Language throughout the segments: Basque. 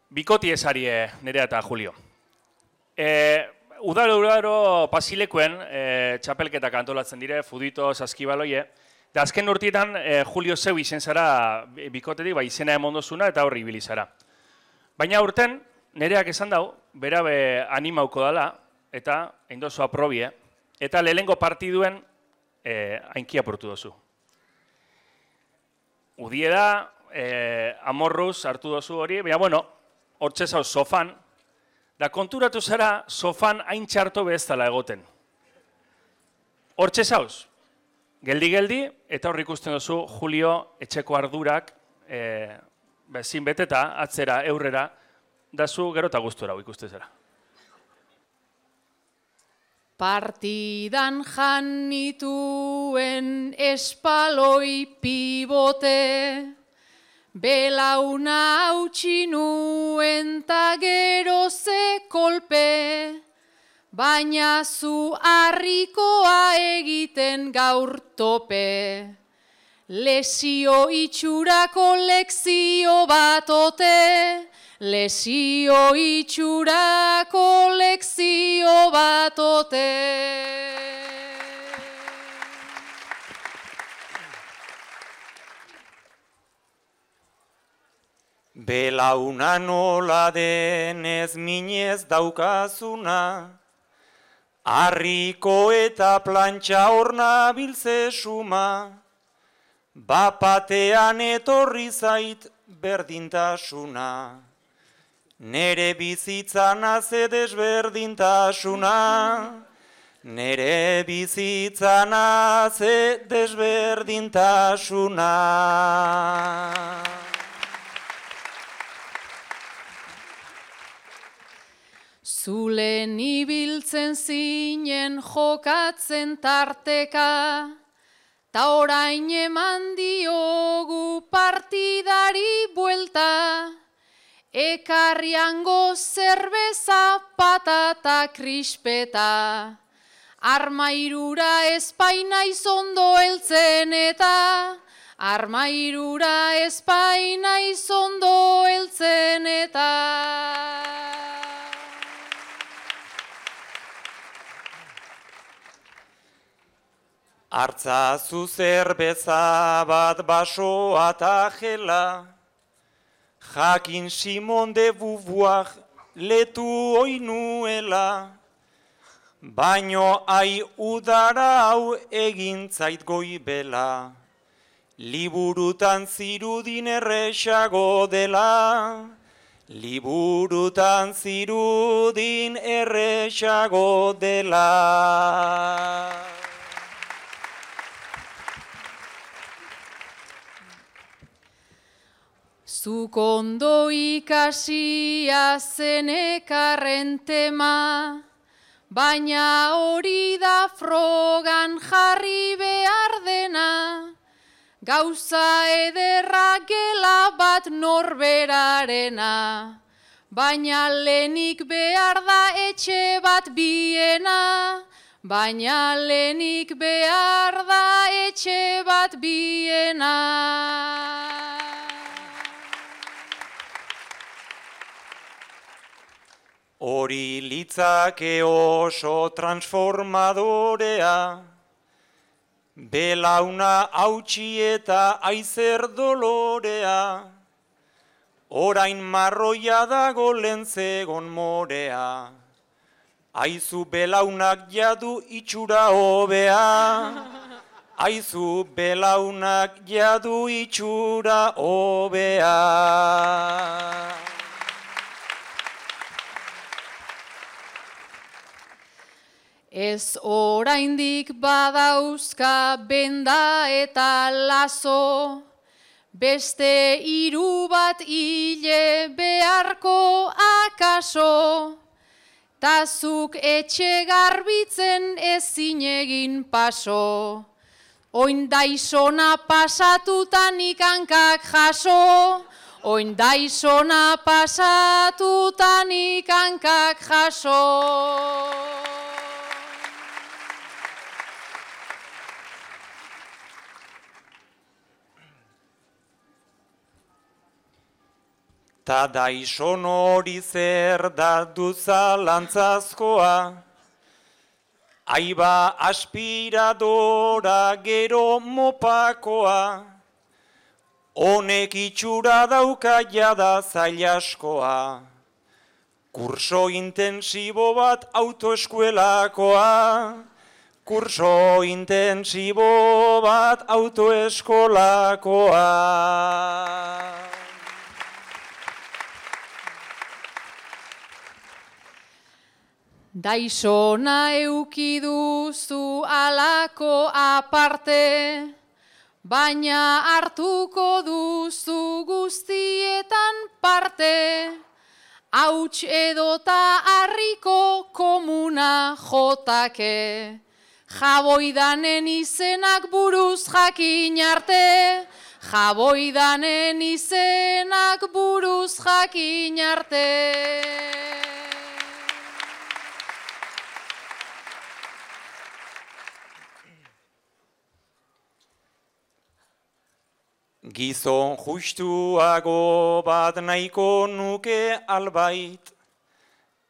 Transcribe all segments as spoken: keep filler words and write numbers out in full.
Bikoti esarie, Nerea eta Julio. E, udaro udaro pasilekuen e, txapelketak antolatzen dire, fudito, saskibaloie. Da azken urtietan e, Julio zeu izen zara bikotetik, ba, izena emondozuna eta horri ibili zara. Baina urten, Nereak esan dau, berabe animauko dala, eta eindozu aprobie, eta lehengo partiduen e, ainkia portu dozu. Udie da, e, amorruz hartu dozu hori, baina bueno, hortxe zauz sofan, da konturatu zara sofan hain txarto beheztala egoten. Hortxe zauz, geldi-geldi, eta hor ikusten duzu Julio etxeko ardurak e, bezin beteta, atzera, eurrera, dazu gero eta gustura ikusten zara. Partidan janituen espaloi pibote, belauna hautsi nuen ta gero ze kolpe, baina zu harrikoa egiten gaur tope. Lesio itxurako lekzio batote, lesio itxurako lekzio batote. Belauna nola denez minez daukazuna, harriko eta plantxa horna biltze suma, bapatean etorri zait berdintasuna. Nere bizitzan haze desberdintasuna, nere bizitzan haze desberdintasuna. Zulen ibiltzen zinen jokatzen tarteka, ta orain eman diogu partidari buelta, ekarriango zerbeza patata krispeta, armairura espaina izondo heltzen eta, armairura espaina izondo heltzen eta. Hartzazu zerbeza bat basoa eta jela, jakin Simon de Beauvoir letu oinuela, baino ai udara hau egin zait goibela, liburutan zirudin erresago dela, liburutan zirudin erresago dela. Zuk ondo ikasia zenekarren tema, baina hori da frogan jarri behar dena, gauza ederra gela bat norberarena, baina lehenik behar da etxe bat biena, baina lehenik behar da etxe bat biena. Hori litzake oso transformadorea, belauna hautsi eta aizer dolorea, orain marroia dago lentzegon morea, aizu belaunak jadu itxura hobea, aizu belaunak jadu itxura hobea. Ez oraindik badauzka benda eta lazo, beste hiru bat hile beharko akaso, tazuk etxe garbitzen ezin egin paso, oin daizona pasatutanik hankak jaso, oin daizona pasatutanik hankak jaso. ta daixon hori zer da duzalantzazkoa, aiba aspiradora gero mopakoa, honek itxura dauka jada zail askoa, kurso intensibo bat autoeskuelakoa, kurso intensibo bat autoeskolakoa. Daixona euki duzu alako aparte, baina hartuko duzu guztietan parte, hauts edota harriko komuna jotake, jaboidanen izenak buruz jakin arte, jaboidanen izenak buruz jakin arte. Gizon justuago bat nahiko nuke albait,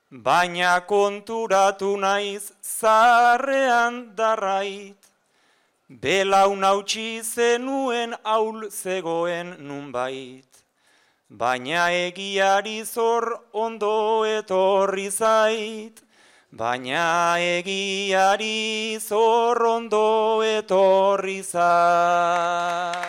baina konturatu naiz zaharrean darrait, belaun hautsi zenuen aul zegoen nunbait, baina egiari zor ondo etorri zait, baina egiari zor ondo etorri zait.